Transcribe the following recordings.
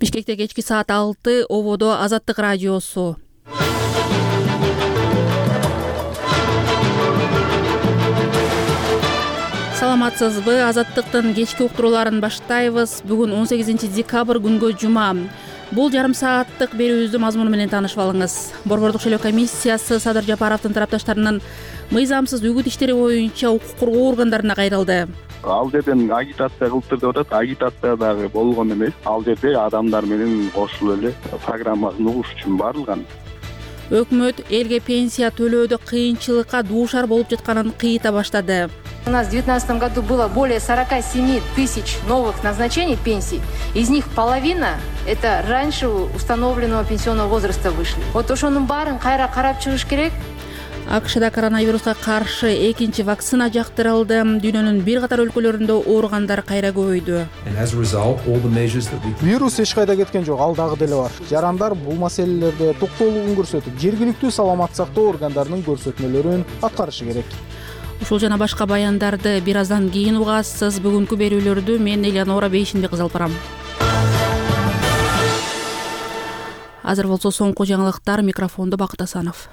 Бишкекте кечки саат 6 ободо Азаттык радиосу. Саламатсызбы? Азаттыктын кечки уктурууларын баштайбыз. Бүгүн 18 декабрь күнгө жума. Бул жарым сааттык берүүбүздүн мазмуну менен таанышып алыңыз. Борбордук шайлоо комиссиясы Садыр Жапаровдун тарапташтарынын мыйзамсыз үгүт иштери боюнча укук коргоо органдарына кайрылды. Ал жерден агитация кылыптыр деп атат. Агитация дагы болгон эмес. Ал жерде адамдар менен кошулуп эле программасын угуш үчүн барылган. Өкмөт элге пенсия төлөөдө кыйынчылыкка дуушар болуп жатканын кыйыта баштады. У нас в 2019 году было более 47 тысяч новых назначений пенсий. Из них половина – это раньше установленного пенсионного возраста вышли. Вот ошонун баарын кайра карап чыгыш керек. АКШда коронавируска каршы экинчи вакцина жактырылды. Дүйнөнүн бир катар өлкөлөрүндө ооругандар кайра көбөйдү. Вирус эч кайда кеткен жок, ал дагы деле бар. Жарандар бул маселелерде токтоолугун көрсөтүп, жергиликтүү саламаттык сактоо органдарынын көрсөтмөлөрүн аткарышы керек. Ушул жана башка баяндарды бир аздан кийин угасыз. Бүгүнкү берүүлөрдү мен Элеонора Бейшинбек алып барам. Азыр болсо соңку жаңылыктар, микрофондо Бакыт Асанов.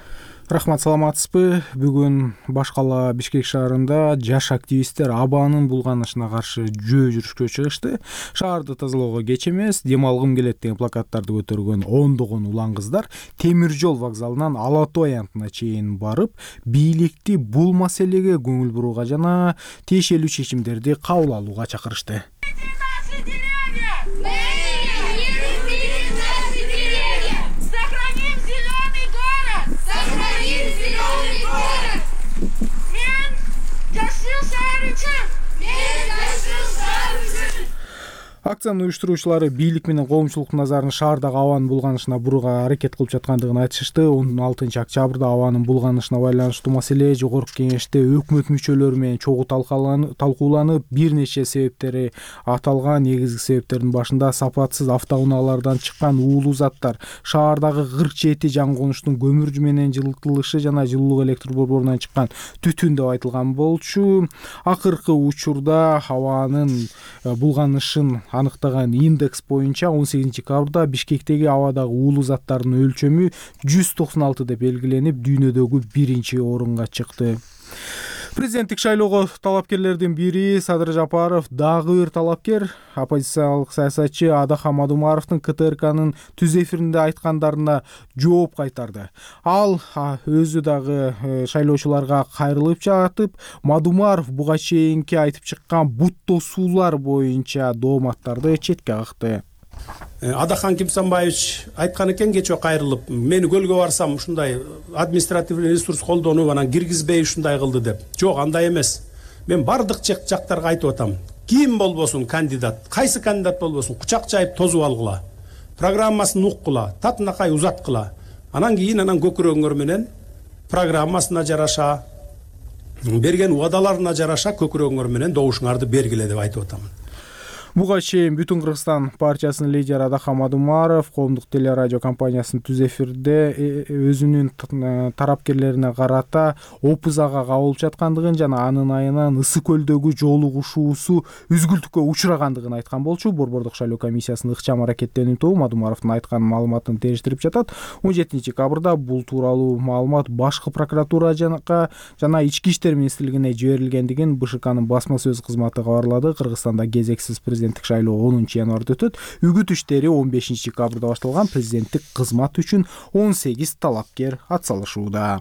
Рахмат, саламатсызбы? Бүгүн башкала Бишкек шаарында жаш активисттер абанын булганышына каршы жөө жүрүшкө чыгышты. Шаарды тазалоого кеч эмес, дем алгым келет деген плакаттарды көтөргөн ондогон улан кыздар темир жол вокзалынан Ала Тоо аянтына чейин барып, бийликти бул маселеге көңүл бурууга жана тиешелүү чечимдерди кабыл алууга чакырышты. Акциянын уюштуруучулары бийлик менен коомчулуктун назарын шаардагы абанын булганышына бурууга аракет кылып жаткандыгын айтышты. 16 октябрда абанын булганышына байланыштуу маселе жогорку кеңеште өкмөт мүчөлөрү менен чогуу талкууланып, бир нече себептери аталган. Негизги себептердин башында сапатсыз автоунаалардан чыккан уулуу заттар, шаардагы 47 жаңы конуштун көмүр менен жылытылышы жана жылуулук электр борборунан чыккан түтүн деп айтылган болчу. Акыркы учурда абанын булганышын аныктаган индекс боюнча 18 декабрда Бишкектеги абадагы уулуу заттардын өлчөмү 196 деп белгиленип, дүйнөдөгү биринчи орунга чыкты. Президенттик шайлоого талапкерлердин бири Садыр Жапаров дагы бир талапкер. Оппозициялык саясатчы Адаха Мадумаровдун КТРКнын түз эфиринде айткандарына жооп кайтарды. Ал өзү дагы шайлоочуларга кайрылып жатып, Мадумаров буга чейинки айтып чыккан бут тосуулар боюнча дооматтарды четке какты. Адахан Кимсанбаевич айткан экен кечээ кайрылып, мени көлгө барсам ушундай административный ресурс колдонуп анан киргизбей ушундай кылды деп. Жок, андай эмес. Мен бардык жактарга айтып атам. Ким болбосун кандидат, кайсы кандидат болбосун, кучак жайып тозуп алгыла. Программасын уккула, татынакай узаткыла. Анан кийин көкүрөгүңөр менен программасына жараша, берген убадаларына жараша көкүрөгүңөр менен добушуңарды бергиле деп айтып атам. Буга чейин Бүтүн Кыргызстан партиясынын лидери Адаха Мадумаров коомдук телерадио компаниясынын түз эфирде өзүнүн тарапкерлерине карата опузага кабылып жаткандыгын жана анын айынан Ысык көлдөгү жолугушуусу үзгүлтүккө учурагандыгын айткан болчу. Борбордук шайлоо комиссиясынын ыкчам аракеттенүү тобу Мадумаровдун айткан маалыматын териштирип жатат. 17 декабрда бул тууралуу маалымат башкы прокуратура жана Ички иштер министрлигине жиберилгендигин БШКнын басма сөз кызматы кабарлады. Кыргызстанда кезексиз президенттик шайлоо 10 январда өтөт. Үгүт иштери 15 декабрда башталган. Президенттик кызмат үчүн 18 талапкер атсалышууда.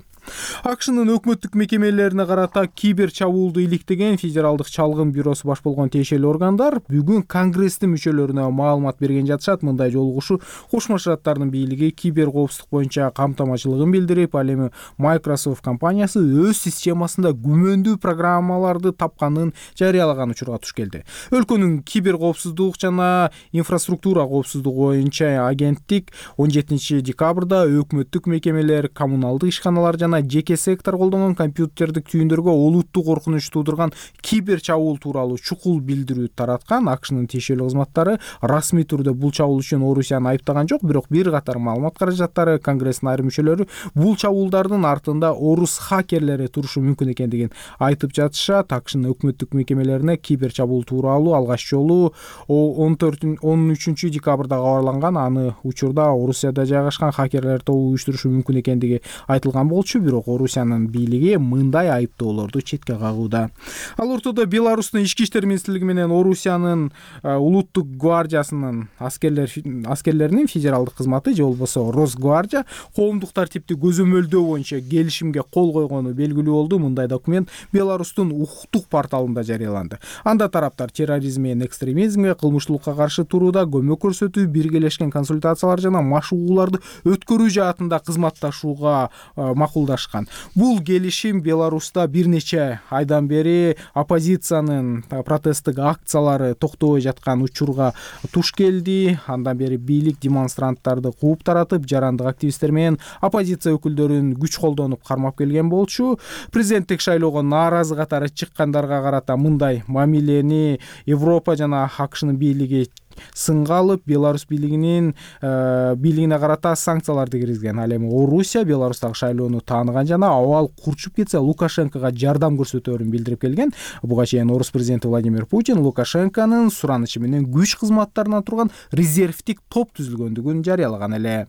АКШнын өкмөттүк мекемелерине карата кибер чабуулду иликтеген Федералдык чалгын бюросу баш болгон тиешелүү органдар бүгүн Конгресстин мүчөлөрүнө маалымат берген жатышат. Мындай жолугушуу Кошмо Штаттардын бийлиги кибер коопсуздук боюнча камтамачылыгын билдирип, ал эми Microsoft компаниясы өз системасында күмөндүү программаларды тапканын жарыялаган учурга туш келди. Өлкөнүн кибер коопсуздук жана инфраструктура коопсуздугу боюнча агенттик 17 декабрда өкмөттүк мекемелер, коммуналдык ишканалар жана жана жеке сектор колдонгон компьютердик түйүндөргө олуттуу коркунуч туудурган кибер чабуул тууралуу чукул билдирүү тараткан. АКШнын тиешелүү кызматтары расмий түрдө бул чабуул үчүн Орусияны айыптаган жок, бирок бир катар маалымат каражаттары Конгресстин айрым мүчөлөрү бул чабуулдардын артында орус хакерлери турушу мүмкүн экендигин айтып жатышат. АКШнын өкмөттүк мекемелерине кибер чабуул тууралуу алгач жолу 13 декабрда кабарланган. Аны учурда Орусияда жайгашкан хакерлер тобу уюштурушу мүмкүн экендиги айтылган болчу, бирок Орусиянын бийлиги мындай айыптоолорду четке кагууда. Ал ортодо Беларустун ички иштер министрлиги менен Орусиянын улуттук гвардиясынын аскерлеринин федералдык кызматы же болбосо Росгвардия коомдук тартипти көзөмөлдөө боюнча келишимге кол койгону белгилүү болду. Мындай документ Беларустун укуктук порталында жарыяланды. Анда тараптар терроризм менен экстремизмге, кылмыштуулукка каршы турууда көмөк көрсөтүү, биргелешкен консультациялар жана машыгууларды өткөрүү жаатында кызматташууга макулдашкан. Бул келишим Беларуста бир нече айдан бери оппозициянын протесттик акциялары токтобой жаткан учурга туш келди. Андан бери бийлик демонстранттарды кууп таратып, жарандык активисттер менен оппозиция өкүлдөрүн күч колдонуп кармап келген болчу. Президенттик шайлоого нааразы катары чыккандарга карата мындай мамилени Европа жана АКШнын бийлиги сынга алып, Беларусь бийлигине карата санкцияларды киргизген. Ал эми Орусия Беларустагы шайлоону тааныган жана абал курчуп кетсе Лукашенкого жардам көрсөтөөрүн билдирип келген. Буга чейин орус президенти Владимир Путин Лукашенконун суранычы менен күч кызматтарынан турган резервдик топ түзүлгөндүгүн жарыялаган эле.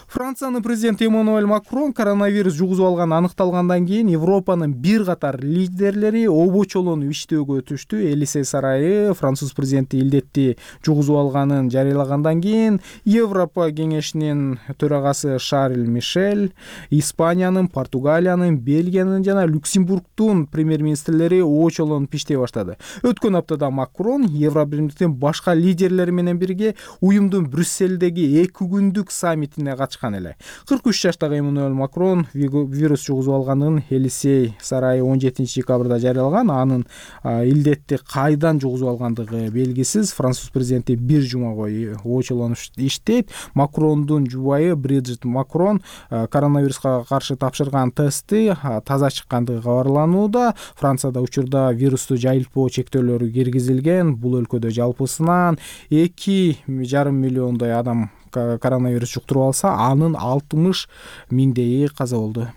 Франциянын президенти Эммануэль Макрон коронавирус жугузуп алганы аныкталгандан кийин Европанын бир катар лидерлери обочолонуп иштөөгө өтүштү. Элисей сарайы француз президенти илдетти жугузуп алганын жарыялагандан кийин Европа кеңешинин төрагасы Шарль Мишель, Испаниянын, Португалиянын, Бельгиянын жана Люксембургдун премьер-министрлери очолонуп иштей баштады. Өткөн аптада Макрон Евробиримдиктин башка лидерлери менен бирге уюмдун Брюссельдеги 2 күндүк саммитине катышкан эле. 43 жаштагы Эммануэль Макрон вирус жугузуп алганын Элисей сарайы 17 декабрда жарыялаган. Анын илдетти кайдан жугузуп алгандыгы белгисиз. Француз президенти бир жума бою очолонуп иштейт. Макрондун жубайы Бриджит Макрон коронавируска каршы тапшырган тести таза чыккандыгы кабарланууда. Францияда учурда вирусту жайылтпоо чектөөлөрү киргизилген. Бул өлкөдө жалпысынан 2,5 миллиондой адам коронавирус жуктуруп алса, анын 60 миңдейи каза болду.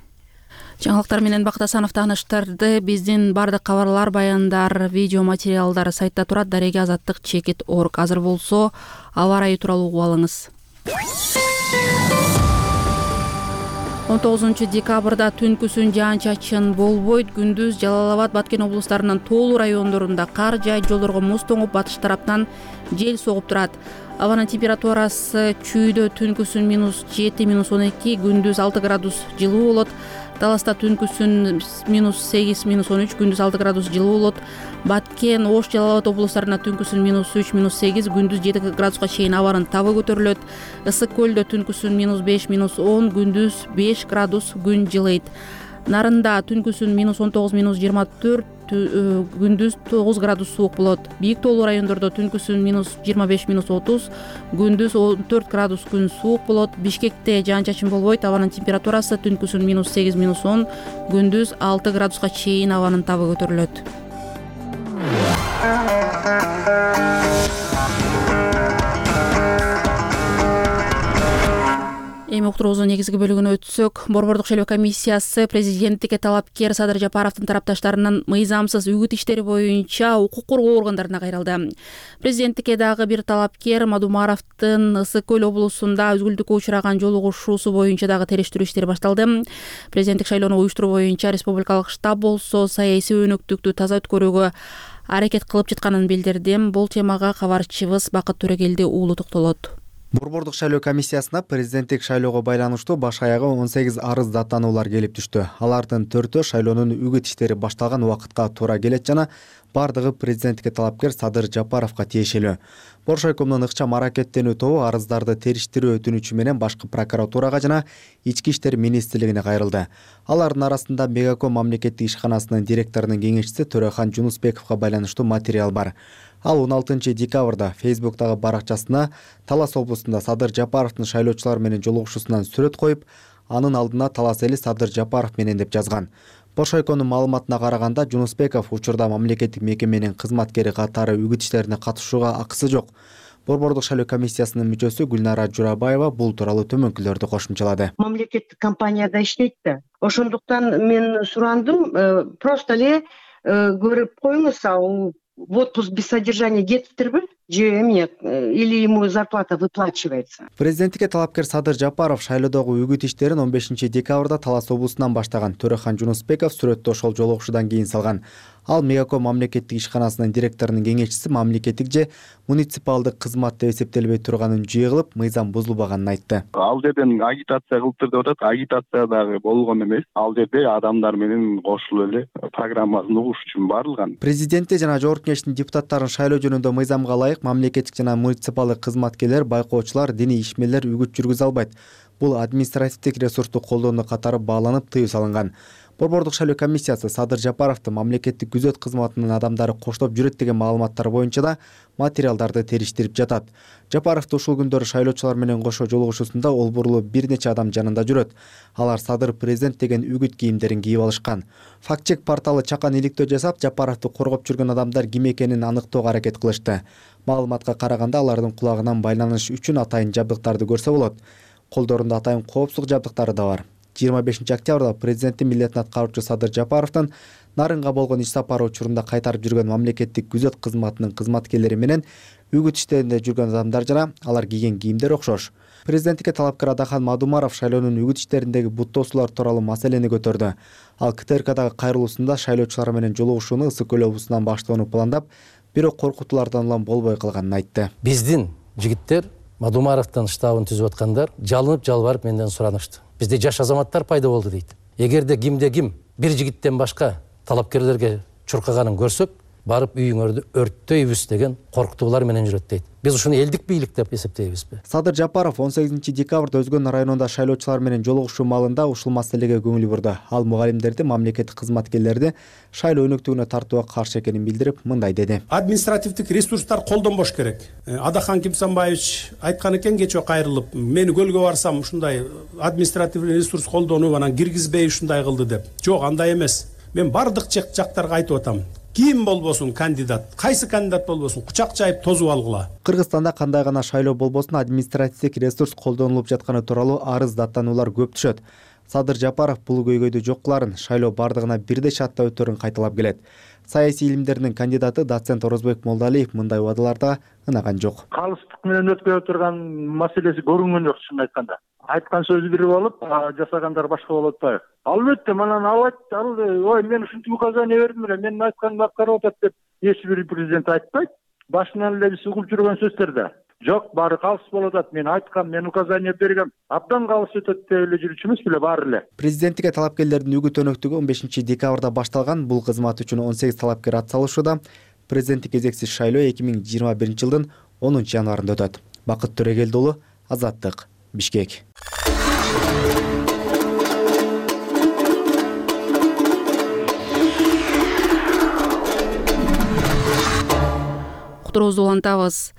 Жаңылыктар менен Бакыт Асанов тааныштырды. Биздин бардык кабарлар, баяндар, видео материалдар сайтта турат. Дареги азаттык /org. Азыр болсо аба ырайы тууралуу угуп алыңыз. 19 декабрда түнкүсүн жаан-чачын болбойт. Күндүз Жалал Абад, Баткен облустарынын тоолуу райондорунда кар жаайт, жолдорго муз тоңуп, батыш тараптан жел согуп турат. Абанын температурасы чүйдө түнкүсүн -7, -12, күндүз 6 градус жылуу болот. Таласта түнкүсүн -8, -13, күндүз 6 градус жылуу болот. Баткен, Ош, Жалал Абад облустарында түнкүсүн -3, -8, күндүз 7 градуска чейин абанын табы көтөрүлөт. Ысык көлдө түнкүсүн -5, -10, күндүз 5 градус күн жылыйт. Нарында түнкүсүн -19, -24, күндүз 9 градус суук болот. Бийик тоолуу райондордо түнкүсүн -25, -30, күндүз 14 градус күн суук болот. Бишкекте жаан-чачын болбойт. Абанын температурасы түнкүсүн -8, -10, күндүз 6 градуска чейин абанын табы көтөрүлөт. Эми уктуруубуздун негизги бөлүгүнө өтсөк, Борбордук шайлоо комиссиясы президенттикке талапкер Садыр Жапаровдун тарапташтарынын мыйзамсыз үгүт иштери боюнча укук коргоо органдарына кайрылды. Президенттикке дагы бир талапкер Мадумаровдун Ысык көл облусунда өзгүлтүккө учураган жолугушуусу боюнча дагы териштирүү иштери башталды. Президенттик шайлоону уюштуруу боюнча республикалык штаб болсо саясий өнөктүктү таза өткөрүүгө аракет кылып жатканын билдирди. Бул темага кабарчыбыз Бакыт Төрөгелди уулу токтолот. Борбордук шайлоо комиссиясына президенттик шайлоого байланыштуу баш аягы 18 арыз даттануулар келип түштү. Алардын 4-өө шайлоонун үгүт иштери башталган убакытка туура келет жана бардыгы президенттикке талапкер Садыр Жапаровго тиешелүү. Боршайкомдун ыкчам аракеттенүү тобу арыздарды териштирүү өтүнүчү менен башкы прокуратурага жана Ички иштер министрлигине кайрылды. Алардын арасында Мегаком мамлекеттик ишканасынын директорунун кеңешчиси Төрехан Жунусбековго байланыштуу материал бар. Ал 16 декабрда Фейсбуктагы баракчасына Талас облусунда Садыр Жапаровдун шайлоочулар менен жолугушуусунан сүрөт коюп, анын алдына талас эли Садыр Жапаров менен деп жазган. Бошойконун маалыматына караганда Жунусбеков учурда мамлекеттик мекеменин кызматкери катары үгүт иштерине катышууга акысы жок. Борбордук шайлоо комиссиясынын мүчөсү Гүлнара Журабаева бул тууралуу төмөнкүлөрдү кошумчалады. Мамлекеттик компанияда иштейт да. Ошондуктан мен сурандым, просто эле көрүп коюңуз, в отпуск без содержания кетиптирби же эмне, или ему зарплата выплачивается. Президенттикке талапкер Садыр Жапаров шайлоодогу үгүт иштерин 15 декабрда Талас облусунан баштаган. Төрехан Жунусбеков сүрөттө ошол жолугушуудан кийин салган. Ал Мегаком мамлекеттик ишканасынын директорунун кеңешчиси мамлекеттик же муниципалдык кызмат деп эсептелбей турганын жүйө кылып, мыйзам бузулбаганын айтты. Ал жерден агитация кылыптыр деп атат. Агитация дагы болгон эмес. Ал жерде адамдар менен кошулуп эле программасын угуш үчүн барылган. Президентте жана жогорку кеңештин депутаттарын шайлоо жөнүндө мыйзамга ылайык мамлекеттик жана муниципалдык кызматкерлер, байкоочулар, диний ишмерлер үгүт жүргүзө албайт. Бул административдик ресурсту колдонуу катары бааланып тыюу салынган. Борбордук шайлоо комиссиясы Садыр Жапаровду мамлекеттик күзөт кызматынын адамдары коштоп жүрөт деген маалыматтар боюнча да материалдарды териштирип жатат. Жапаров ушул күндөрү шайлоочулар менен кошо жолугушуусунда олбурлуу бир нече адам жанында жүрөт. Алар Садыр президент деген үгүт кийимдерин кийип алышкан. Фактчек порталы чакан иликтөө жасап, Жапаровду коргоп жүргөн адамдар ким экенин аныктоого аракет кылышты. Маалыматка караганда алардын кулагынан байланыш үчүн атайын жабдыктарды көрсө болот. Колдорунда атайын коопсуздук жабдыктары да бар. 25 октябрда президенттин милдетин аткаруучу Садыр Жапаровдун Нарынга болгон иш сапары учурунда кайтарып жүргөн мамлекеттик күзөт кызматынын кызматкерлери менен үгүт иштеринде жүргөн адамдар жана алар кийген кийимдер окшош. Президенттикке талапкер Адахан Мадумаров шайлоонун үгүт иштериндеги буттоосулар тууралуу маселени көтөрдү. Ал КТРКдагы кайрылуусунда шайлоочулар менен жолугушууну Ысык көл облусунан баштоону пландап, бирок коркутуулардан улам болбой калганын айтты. Биздин жигиттер Мадумаровдун штабын түзүп аткандар жалынып жалбарып менден суранышты. Бизде жаш азаматтар пайда болду дейт. Эгерде кимде ким бир жигиттен башка талапкерлерге чуркаганын көрсөк, барып үйүңөрдү өрттөйбүз деген коркутуулар менен жүрөт дейт. Биз ушуну элдик бийлик деп эсептейбизби? Садыр Жапаров 18 декабрда Өзгөн районунда шайлоочулар менен жолугушуу маалында ушул маселеге көңүл бурду. Ал мугалимдерди, мамлекеттик кызматкерлерди шайлоо өнөктүгүнө тартууга каршы экенин билдирип, мындай деди. Административдик ресурстар колдонбош керек. Адахан Кимсанбаевич айткан экен кечээ кайрылып, мени көлгө барсам ушундай административдик ресурс колдонуп анан киргизбей ушундай кылды деп. Жок, андай эмес. Мен бардык жактарга айтып атам. Ким болбосун кандидат, кайсы кандидат болбосун кучак жайып тозуп алгыла. Кыргызстанда кандай гана шайлоо болбосун административдик ресурс колдонулуп жатканы тууралуу арыз даттануулар көп түшөт. Садыр Жапаров бул көйгөйдү жок кыларын, шайлоо бардыгына бирдей шартта өтөрүн кайталап келет. Саясий илимдердин кандидаты доцент Орозбек Молдалиев мындай убадаларда ынаган жок. Калыстык менен өткөрүп турган маселеси көрүнгөн жок, чын айтканда. Айткан сөзү бир болуп, жасагандар башка болуп атпайбы? Албетте, манан ал ой, мен ушинтип указание бердим эле, менин айтканымды аткарып атат деп эч бир президент айтпайт. Башынан эле биз угуп жүргөн сөздөрдө. Жок, баары калыс болуп атат. Мен айткам, мен указание бергем. Абдан калыс өтөт деп эле жүрүчүмүз беле баары эле. Президенттикке талапкерлердин үгүт өнөктүгү 15 декабрда башталган. Бул кызмат үчүн 18 талапкер ат салышууда. Президенттик кезексиз шайлоо 2021 жылдын 10 январында өтөт. Бакыт Төрөгелди уулу, Азаттык, Бишкек. Кутуруубузду улантабыз.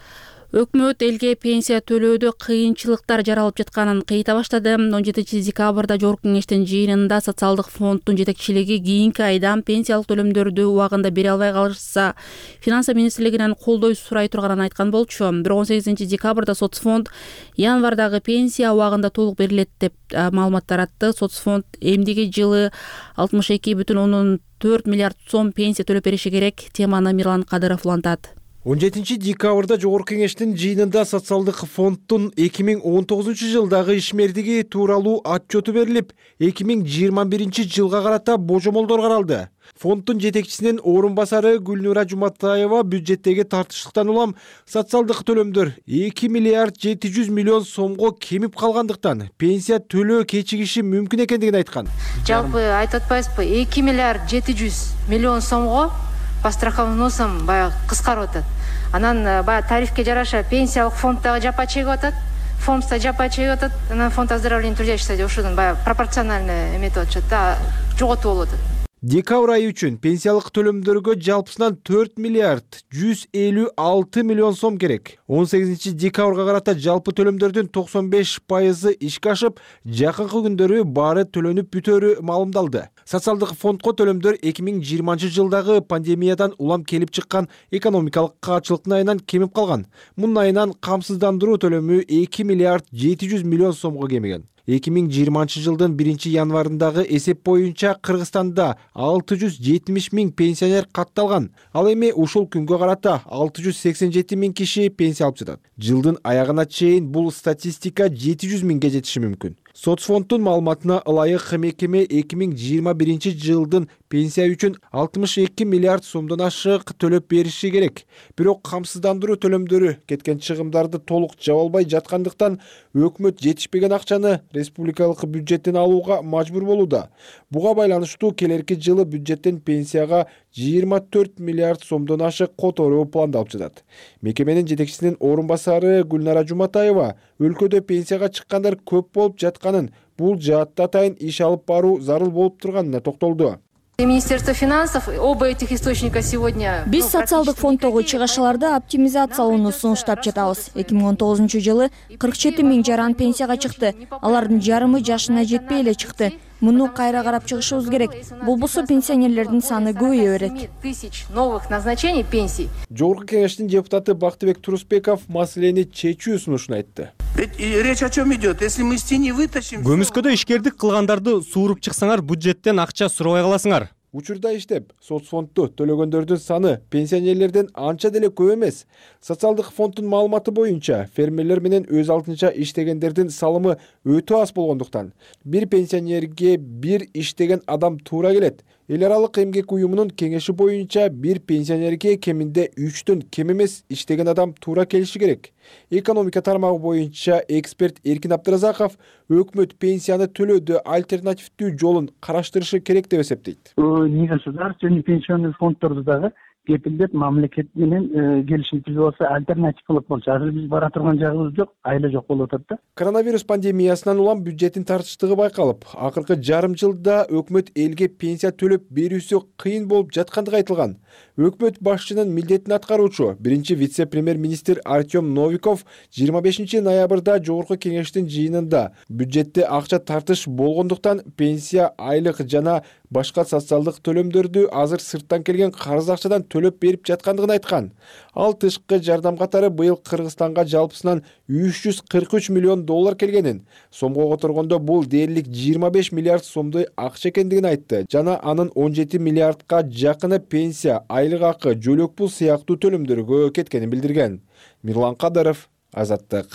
Өкмөт элге пенсия төлөөдө кыйынчылыктар жаралып жатканын кыйта баштады. 17 декабрда жогорку кеңештин жыйынында социалдык фонддун жетекчилиги кийинки айда пенсиялык төлөмдөрдү убагында бере албай калышса, финансы министрлигинен колдой сурай турганын айткан болчу. Бирок 18 декабрда соцфонд январдагы пенсия убагында толук берилет деп маалымат таратты. Соцфонд эмдиги жылы 62,4 миллиард сом пенсия төлөп бериши керек. Теманы Мирлан Кадыров улантат. 17 декабрда жогорку кеңештин жыйынында социалдык фонддун 2019 жылдагы ишмердиги тууралуу отчету берилип, 2021 жылга карата божомолдор каралды. Фонддун жетекчисинин орун басары Гүлнара Жуматаева бюджеттеги тартыштыктан улам социалдык төлөмдөр 2 миллиард 700 миллион сомго кемип калгандыктан пенсия төлөө кечигиши мүмкүн экендигин айткан. Жалпы айтып атпайсызбы, 2 миллиард 700 миллион сомго по страховым взносам баягы кыскарып атат. Анан баягы тарифке жараша пенсиялык фонддагы жапа чегип атат, фондда жапа чегип атат. Анан фонд оздоровления трудящихся деп ушудан баягы пропорционально эметип атышат да, жоготуп болуп атат. Декабрь айы үчүн пенсиялык төлөмдөргө жалпысынан 4 миллиард 156 миллион сом керек. 18 декабрга карата жалпы төлөмдөрдүн 95% ишке ашып, жакынкы күндөрү баары төлөнүп бүтөөрү маалымдалды. Социалдык фондко төлөмдөр 2020 жылдагы пандемиядан улам келип чыккан экономикалык каатчылыктын айынан кемип калган. Мунун айынан камсыздандыруу төлөмү 2 миллиард 700 миллион сомго кемиген. 2020 жылдын 1 январындагы эсеп боюнча Кыргызстанда 670 миң пенсионер катталган. Ал эми ушул күнгө карата 687 миң киши пенсия алып жатат. Жылдын аягына чейин бул статистика 700 миңге жетиши мүмкүн. Соцфонддун маалыматына ылайык мекеме 2021 жылдын пенсия үчүн 62 миллиард сомдон ашык төлөп бериши керек. Бирок камсыздандыруу төлөмдөрү кеткен чыгымдарды толук жаба албай жаткандыктан өкмөт жетишпеген акчаны республикалык бюджеттен алууга мажбур болууда. Буга байланыштуу келерки жылы бюджеттен пенсияга 24 миллиард сомдон ашык которуу пландалып жатат. Мекеменин жетекчисинин орун басары Гүлнара Жуматаева өлкөдө пенсияга чыккандар көп болуп жатканын, бул жаатта атайын иш алып баруу зарыл болуп турганына токтолду. Министерство финансов оба этих источника сегодня. Биз социалдык фонддогу чыгышчыларды оптимизациялоону сунуштап жатабыз. 2019 жылы 47 миң жаран пенсияга чыкты. Алардын жарымы жашына жетпей эле чыкты. Муну кайра карап чыгышыбыз керек. Болбосо пенсионерлердин саны көбөйө берет. Тысяч новых назначений пенсий. Жогорку кеңештин депутаты Бактыбек Турусбеков маселени чечүү сунушун айтты. Речь о чем идет? Если мы из тени вытащим... Көмүскөдө ишкердик кылгандарды сууруп чыксаңар, бюджеттен акча сурабай каласыңар. Учурда иштеп, соцфондду төлөгөндөрдүн саны пенсионерлерден анча деле көп эмес. Социалдык фонддун маалыматы боюнча, фермерлер менен өз алдынча иштегендердин салымы өтө аз болгондуктан, бир пенсионерге бир иштеген адам туура келет. Эл аралык эмгек уюмунун кеңеши боюнча бир пенсионерге кеминде 3төн кем эмес иштеген адам туура келиши керек. Экономика тармагы боюнча эксперт Эркин Абдыразаков өкмөт пенсияны төлөөдө альтернативдүү жолун караштырышы керек деп эсептейт. Негосударственный пенсионный фонддорду дагы кепилдеп мамлекет менен келишим түзүп алса альтернатив кылып болчу. Азыр биз бара турган жагыбыз жок, айла жок болуп атат да. Коронавирус пандемиясынан улам бюджеттин тартыштыгы байкалып, акыркы жарым жылда өкмөт элге пенсия төлөп берүүсү кыйын болуп жаткандыгы айтылган. Өкмөт башчынын милдетин аткаруучу биринчи вице-премьер-министр Артем Новиков 25 ноябрда жогорку кеңештин жыйынында бюджетте акча тартыш болгондуктан пенсия, айлык жана башка социалдык төлөмдөрдү азыр сырттан келген карыз акчадан төлөп берип жаткандыгын айткан. Ал тышкы жардам катары быйыл Кыргызстанга жалпысынан 343 миллион доллар келгенин, сомго которгондо бул дээрлик 25 миллиард сомдой акча экендигин айтты. Жана анын 17 миллиардка жакыны пенсия, айлык акы, жөлөк пул сыяктуу төлөмдөргө кеткенин билдирген. Мирлан Кадыров, Азаттык.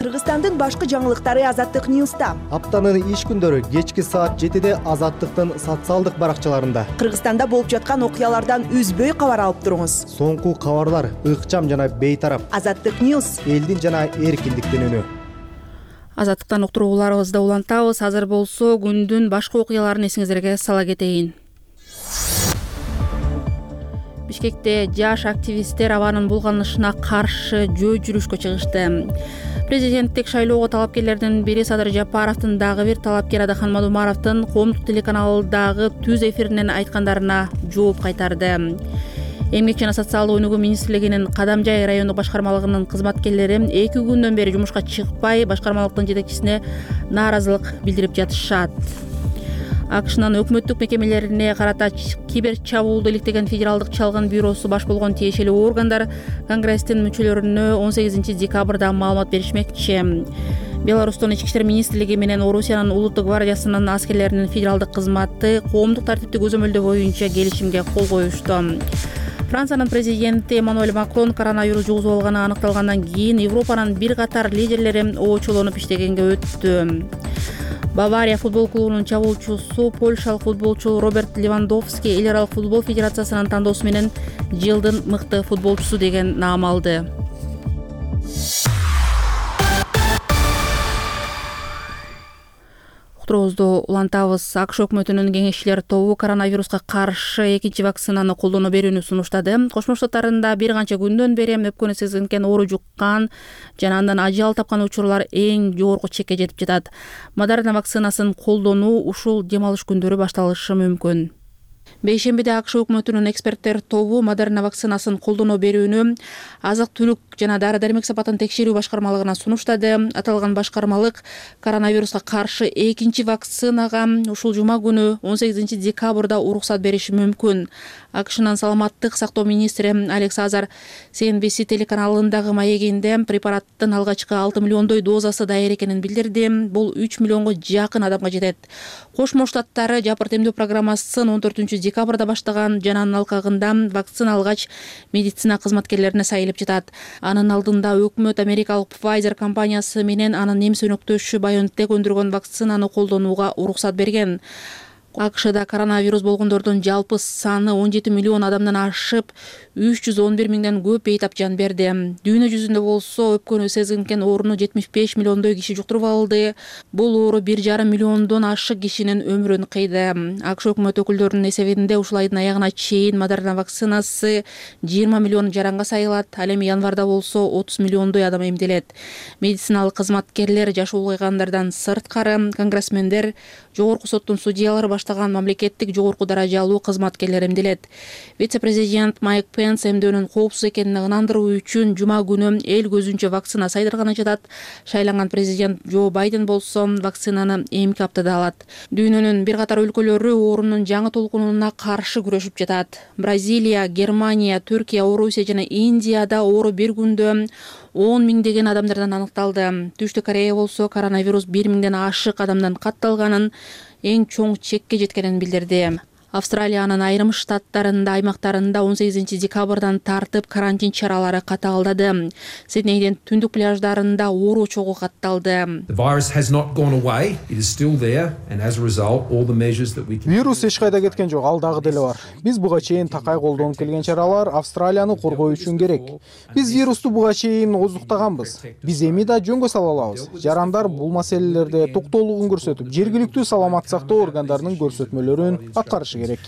Кыргызстандын башкы жаңылыктары Азаттык Ньюста. Аптанын иш күндөрү кечки саат 7-де Азаттыктын социалдык баракчаларында. Кыргызстанда болуп жаткан окуялардан үзбөй кабар алып туруңуз. Соңку кабарлар ыкчам жана бейтарап. Азаттык Ньюс. Элдин жана эркиндиктин үнү. Азаттыктан уктурууларыбызды улантабыз. Азыр болсо күндүн башка окуяларын эсиңиздерге сала кетейин. Бишкекте жаш активисттер абанын булганышына каршы жөө жүрүшкө чыгышты. Президенттик шайлоого талапкерлердин бири Садыр Жапаровдун дагы бир талапкер Адахан Мадумаровдун коомдук телеканалдагы түз эфиринен айткандарына жооп кайтарды. Эмгек жана социалдык өнүгүү министрлигинин Кадамжай райондук башкармалыгынын кызматкерлери 2 күндөн бери жумушка чыкпай, башкармалыктын жетекчисине нааразылык билдирип жатышат. АКШнын өкмөттүк мекемелерине карата кибер чабуулду иликтеген Федералдык чалгын бюросу баш болгон тиешелүү органдар Конгресстин мүчөлөрүнө 18 декабрда маалымат беришмекчи. Беларустун ички иштер министрлиги менен Орусиянын улуттук гвардиясынын аскерлеринин федералдык кызматы коомдук тартипти көзөмөлдөө боюнча келишимге кол коюшту. Франциянын президенти Эммануэль Макрон коронавирус жугузуп алганы аныкталгандан кийин Европанын бир катар лидерлери оочолонуп иштегенге өттү. Бавария футбол клубунун чабуучусу польшалык футболчу Роберт Левандовский эл аралык футбол федерациясынын тандоосу менен жылдын мыкты футболчусу деген наам алды. Уктуруубузду улантабыз. АКШ өкмөтүнүн кеңешчилер тобу коронавируска каршы экинчи вакцинаны колдоно берүүнү сунуштады. Кошмо Штаттарында бир канча күндөн бери өпкөнү сезинкен оору жуккан жана андан ажал тапкан учурлар эң жогорку чекке жетип жатат. Модерна вакцинасын колдонуу ушул дем алыш күндөрү башталышы мүмкүн. Бейшембиде АКШ өкмөтүнүн эксперттер тобу Модерна вакцинасын колдоно берүүнү азык-түлүк жана дары-дармек сапатын текшерүү башкармалыгына сунуштады. Аталган башкармалык коронавируска каршы экинчи вакцинага ушул жума күнү 18 декабрда уруксат бериши мүмкүн. АКШнын саламаттык сактоо министри Алекс Азар CNBC телеканалындагы маегинде препараттын алгачкы 6 миллиондой дозасы даяр экенин билдирди. Бул 3 миллионго жакын адамга жетет. Кошмо Штаттары жапырт эмдөө программасын 14 декабрда баштаган жана анын алкагында вакцина алгач медицина кызматкерлерине сайылып жатат. Анын алдында өкмөт америкалык Pfizer компаниясы менен анын немис өнөктөшү BioNTech өндүргөн вакцинаны колдонууга уруксат берген. АКШда коронавирус болгондордун жалпы саны 17 миллион адамдан ашып, 311 миңден көп бейтап жан берди. Дүйнө жүзүндө болсо өпкөнү сезинген ооруну 75 миллиондой киши жуктуруп алды. Бул оору 1,5 миллиондон ашык кишинин өмүрүн кыйды. АКШ өкмөт өкүлдөрүнүн эсебинде ушул айдын аягына чейин Модерна вакцинасы 20 миллион жаранга сайылат. Ал эми январда болсо 30 миллиондой адам эмделет. Медициналык кызматкерлер, жаш улгайгандардан сырткары конгрессмендер, жогорку соттун судьялары баштаган мамлекеттик жогорку даражалуу кызматкерлер эмделет. Вице-президент Майк Пенс эмдөөнүн коопсуз экенин ынандыруу үчүн жума күнү эл көзүнчө вакцина сайдырганын жатат. Шайланган президент Джо Байден болсо вакцинаны эмки аптада алат. Дүйнөнүн бир катар өлкөлөрү оорунун жаңы толкунуна каршы күрөшүп жатат. Бразилия, Германия, Түркия, Орусия жана Индияда оору бир күндө 10 миңдеген адамдардан аныкталды. Түштүк Корея болсо коронавирус 1 миңден ашык адамдан катталганын, эң чоң чекке жеткенин билдирди. Австралиянын айрым штаттарында, аймактарында 18 декабрдан тартып карантин чаралары катаалдады. Сиднейдин түндүк пляждарында оору чогуу катталды. Вирус эч кайда кеткен жок, ал дагы деле бар. Биз буга чейин такай колдонуп келген чаралар Австралияны коргоо үчүн керек. Биз вирусту буга чейин ооздуктаганбыз. Биз эми да жөнгө сала алабыз. Жарандар бул маселелерде токтоолугун көрсөтүп, жергиликтүү саламат сактоо органдарынын көрсөтмөлөрүн аткарышы керек,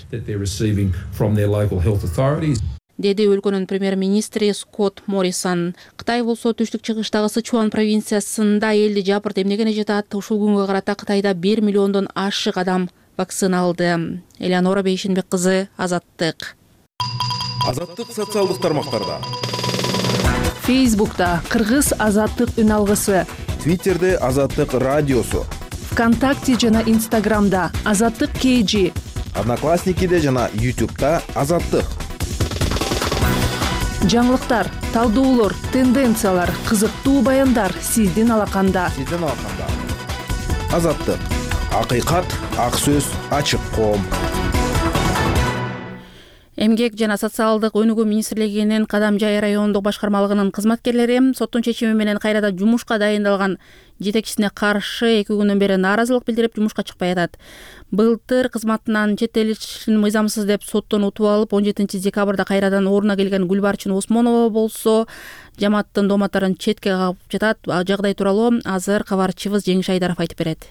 деди өлкөнүн премьер-министри Скотт Моррисон. Кытай болсо түштүк чыгыштагы Сычуан провинциясында элди жапырт эмнегене жатат. Ушул күнгө карата Кытайда 1 миллиондон ашык адам вакцина алды. Элеонора Бейшенбек кызы, Азаттык. Азаттык социалдык тармактарда. Фейсбукта Кыргыз Азаттык үн алгысы. Твиттерде Азаттык радиосу. ВКонтакте жана Инстаграмда Азаттык KG. Одноклассникиде жана YouTube'да Азаттык. Жаңылыктар, талдоолор, тенденциялар, кызыктуу баяндар сиздин алаканда. Азаттык. Акыйкат, ак сөз, ачык коом. Эмгек жана социалдык өнүгүү министрлигинин Кадамжай райондук башкармалыгынын кызматкерлери соттун чечими менен кайрадан жумушка дайындалган жетекчисине каршы 2 күндөн бери нааразылык билдирип жумушка чыкпай атат. Былтыр кызматынан четтетилишин мыйзамсыз деп соттон утуп алып 17 декабрда кайрадан ордуна келген Гүлбарчын Осмонова болсо жамааттын дооматтарын четке кагып жатат. Жагдай тууралуу азыр кабарчыбыз Жеңиш Айдаров айтып берет.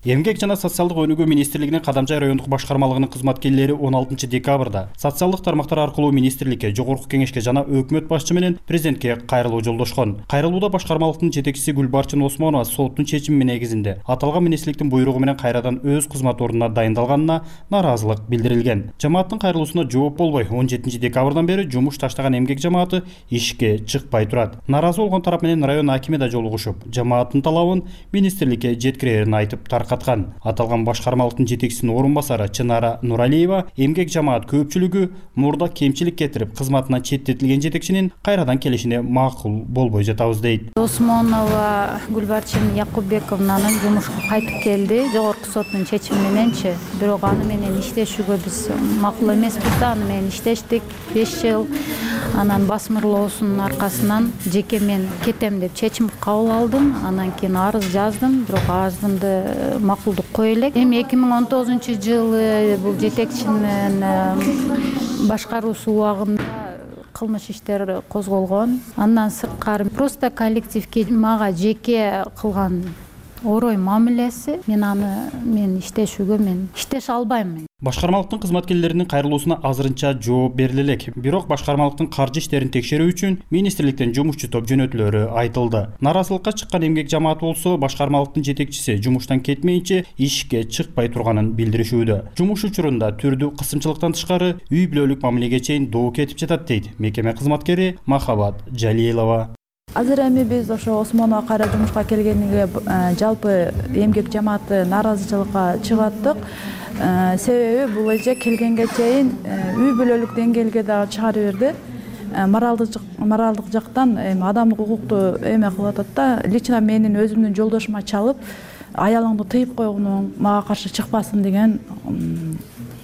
Эмгек жана социалдык өнүгүү министрлигинин Кадамжай райондук башкармалыгынын кызматкерлери 16 декабрда социалдык тармактар аркылуу министрликке, жогорку кеңешке жана өкмөт башчы менен президентке кайрылуу жолдошкон. Кайрылууда башкармалыктын жетекчиси Гүлбарчын Осмонова соттун чечими негизинде аталган министрликтин буйругу менен кайрадан өз кызмат ордуна дайындалганына нааразылык билдирилген. Жамааттын кайрылуусуна жооп болбой 17 декабрдан бери жумуш таштаган эмгек жамааты ишке чыкпай турат. Нааразы болгон тарап менен район акими да жолугушуп, жамааттын талабын министрликке жеткирерин айтып таркаткан. Аталган башкармалыктын жетекчисинин орун басары Чынара Нуралиева эмгек жамаат көпчүлүгү мурда кемчилик кетирип, кызматынан четтетилген жетекчинин кайрадан келишине макул болбой жатабыз дейт. Осмонова Гүлбарчын Якуббековнанын жумушка кайтып келди, жогорку соттун чечими мененчи. Бирок аны менен иштешүүгө биз макул эмеспиз да, аны менен иштештик 5 жыл. Анан басмырлоосунун аркасынан жеке мен кетем деп чечим кабыл алдым. Анан кийин арыз жаздым, бирок арызымды макулдук кое элек. Эми 2019 жылы бул жетекчинин башкаруусу убагында кылмыш иштер козголгон. Андан сырткары просто коллективге мага жеке кылган орой мамилеси, мен иштешүүгө иштеше албайм. Башкармалыктын кызматкерлеринин кайрылуусуна азырынча жооп бериле элек. Бирок башкармалыктын каржы иштерин текшерүү үчүн министрликтен жумушчу топ жөнөтүлөрү айтылды. Наразылыкка чыккан эмгек жамааты болсо башкармалыктын жетекчиси жумуштан кетмейинче ишке чыкпай турганын билдиришүүдө. Жумуш учурунда түрдүү кысымчылыктан тышкары үй бүлөлүк мамилеге чейин доо кетип жатат дейт мекеме кызматкери Махабат Жалилова. Азыр эми биз ошо Осмонова кайра жумушка келгениге жалпы эмгек жамааты нааразычылыкка чыгаттык. Себеби бул эже келгенге чейин үй бүлөлүк деңгээлге дагы чыгарып берди. Моралдык жактан адамдык укукту эме кылып атат да. Лично менин өзүмдүн жолдошума чалып, аялыңды тыйып койгуну, мага каршы чыкпасын деген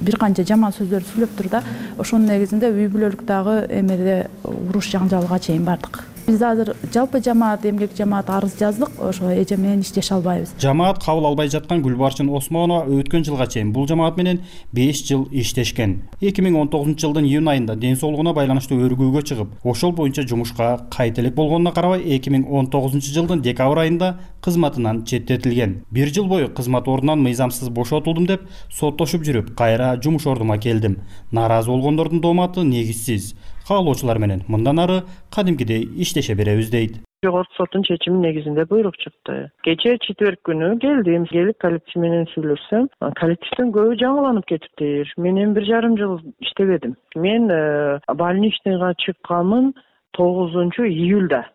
бир канча жаман сөздөрдү сүйлөп тур да. Ошонун негизинде үй бүлөлүк дагы эмеде уруш жаңжалга чейин бардык. Биз азыр жалпы жамаат, эмгек жамаат арыз жаздык, ошо эже менен иштеше албайбыз. Жамаат кабыл албай жаткан Гүлбарчын Осмонова өткөн жылга чейин бул жамаат менен 5 жыл иштешкен. 2019 жылдын июнь айында ден соолугуна байланыштуу өргүүгө чыгып, ошол боюнча жумушка кайта элек болгонуна карабай 2019 жылдын декабрь айында кызматынан четтетилген. 1 жыл бою кызмат ордунан мыйзамсыз бошотулдум деп соттошуп жүрүп, кайра жумуш ордума келдим. Нааразы болгондордун дооматы негизсиз. Каалоочулар менен мындан ары кадимкидей иштеше беребиз дейт. Жогорку соттун чечими негизинде буйрук чыкты. Кечээ четверг күнү келдим. Келип коллектив менен сүйлөшсөм, коллективдин көбү жаңыланып кетиптир. Мен 1,5 жыл иштебедим. Мен больничныйга чыкканмын 9 июлда.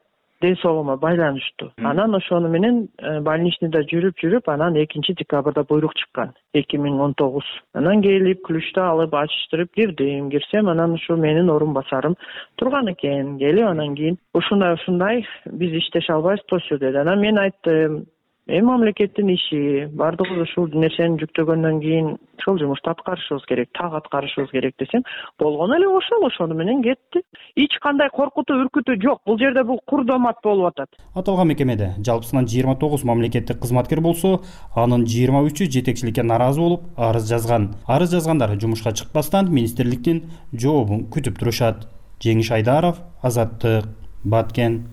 Ден соолугума байланыштуу. Анан ошону менен больничныйда жүрүп, анан 2 декабрда буйрук чыккан. 2019. Анан келип, ключту алып, ачыштырып кирдим. Кирсем, анан ушу менин орун басарым турган экен. Келип, анан кийин ушундай биз иштеше албайбыз, тосу деди. Анан мен айттым, мамлекеттин иши, бардыгыбыз ушул нерсени жүктөгөндөн кийин ошол жумушту аткарышыбыз керек, так аткарышыбыз керек десем, болгону эле ошону менен кетти. Эч кандай коркутуу, үркүтүү жок. Бул жерде бул курдомат болуп атат. Аталган мекемеде жалпысынан 29 мамлекеттик кызматкер болсо, анын 23-ü жетекчиликке наразы болуп, арыз жазган. Арыз жазгандар жумушка чыкпастан министрликтин жообун күтүп турушат. Жеңиш Айдаров, Азаттык, Баткен.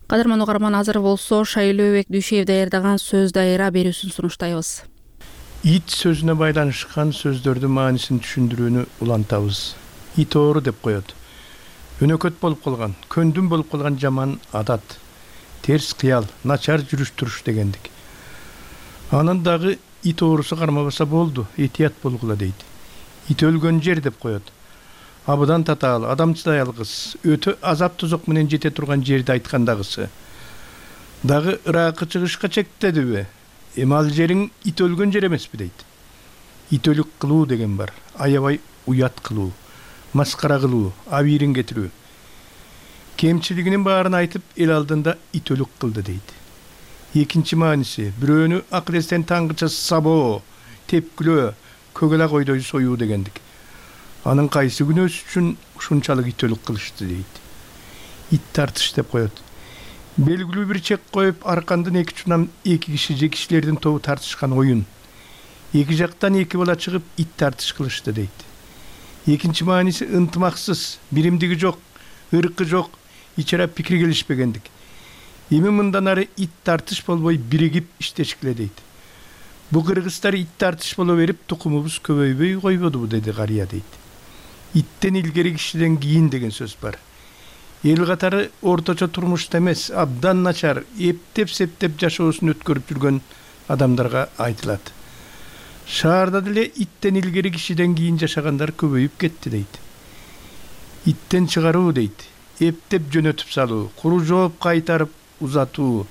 Кадырман угарман, азыр болсо Шайлообек Дүйшеев даярдаган сөз дайыра берүүсүн сунуштайбыз. Ит сөзүнө байланышкан сөздөрдүн маанисин түшүндүрүүнү улантабыз. Ит оору деп коет. Өнөкөт болуп калган, көндүм болуп калган жаман адат, терс кыял, начар жүрүш туруш дегендик. Анын дагы ит оорусу кармабаса болду, этият болгула дейт. Ит өлгөн жер деп коет. Абыдан татаал, адамчылай алгыс, өтө азап тозок менен жете турган жерди айткандагысы. Дагы ыракы чыгышка чектедиби? Ал жериң ит өлгөн жер эмеспи дейт. Ит өлүк кылуу деген бар. Аябай уят кылуу, маскара кылуу, абийирин кетирүү. Кемчилигинин баарын айтып, эл алдында ит өлүк кылды дейт. Экинчи мааниси, бирөөнү акыл эстен таңгыча сабоо, тепкилөө, көгөлө койдой союу дегендик. Анын кайсы күнөөс үчүн ушунчалык ит өлүк кылышты дейт. Ит тартыш деп коет. Белгилүү бир чек коюп, аркандын эки чунам эки киши же кишилердин тобу тартышкан оюн. Эки жактан эки бала чыгып, ит тартыш кылышты дейт. Экинчи мааниси ынтымаксыз, биримдиги жок, ыркы жок, ичара пикир келишпегендик. Эми мындан ары ит тартыш болбой биригип иштешкиле дейт. Бу кыргыздар ит тартыш боло берип, тукумубуз көбөйбөй койбодубу деди карыя дейт. Иттен илгери кишиден кийин деген сөз бар. Эл катары орточо турмушта эмес, абдан начар, эптеп-септеп жашоосун өткөрүп жүргөн адамдарга айтылат. Шаарда деле иттен илгери кишиден кийин жашагандар көбөйүп кетти дейт. Иттен чыгаруу дейт, эптеп жөнөтүп салуу, куру жооп кайтарып узатуу,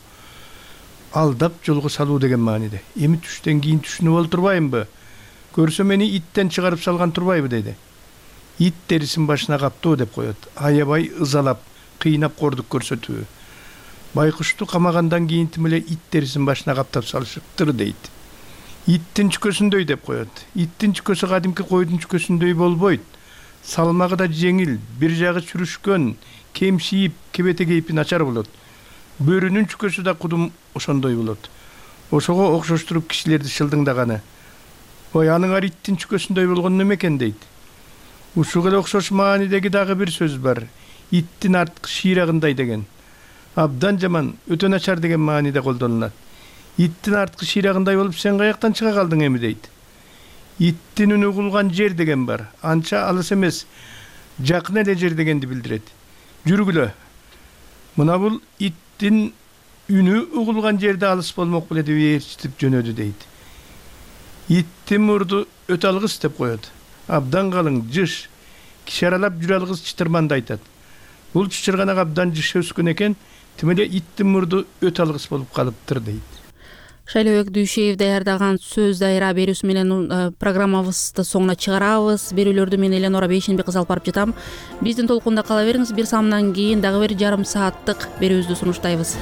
алдап жолго салуу деген мааниде. Эми түштөн кийин түшүнүп олтурбаймбы? Көрсө мени иттен чыгарып салган турбайбы деди. Ит терисин башына каптоо деп коет. Аябай ызалап, кыйнап кордук көрсөтүү. Байкушту камагандан кийин эле ит терисин башына каптап салышыптыр дейт. Иттин чүкөсүндөй деп коет. Иттин чүкөсү кадимки койдун чүкөсүндөй болбойт. Салмагы да жеңил, бир жагы чүрүшкөн, кемшиип, кебете кейпи начар болот. Бөрүнүн чүкөсү да кудум ошондой болот. Ошого окшоштуруп кишилерди шылдыңдаганы. Ой, аныңар иттин чүкөсүндөй болгон неме экен дейт. Ушуга эле окшош маанидеги дагы бир сөз бар. Иттин арткы шыйрагындай деген. Абдан жаман, өтө начар деген мааниде колдонулат. иттин арткы шыйрагындай болуп сен каяктан чыга калдың эми дейт. Иттин үнү угулган жер деген бар. Анча алыс эмес, жакын эле жер дегенди билдирет. Жүргүлө. Мына бул иттин үнү угулган жерде алыс болмок беле деп ээрчитип жөнөдү дейт. Иттин мурду өтө алгыс деп коет. Абдан калың, жыш. Киши аралап жүрө алгыс чытырманды айтат. Бул чычырганак абдан жыш өскөн экен, тим эле иттин мурду өтө алгыс болуп калыптыр дейт. Шайлообек Дүйшеев даярдаган сөз дайра берүүсү менен программабызды соңуна чыгарабыз. Берүүлөрдү мен Эленора Бейшенбек кызы алып барып жатам. Биздин толкунда кала бериңиз. Бир самдан кийин дагы бир жарым сааттык берүүбүздү сунуштайбыз.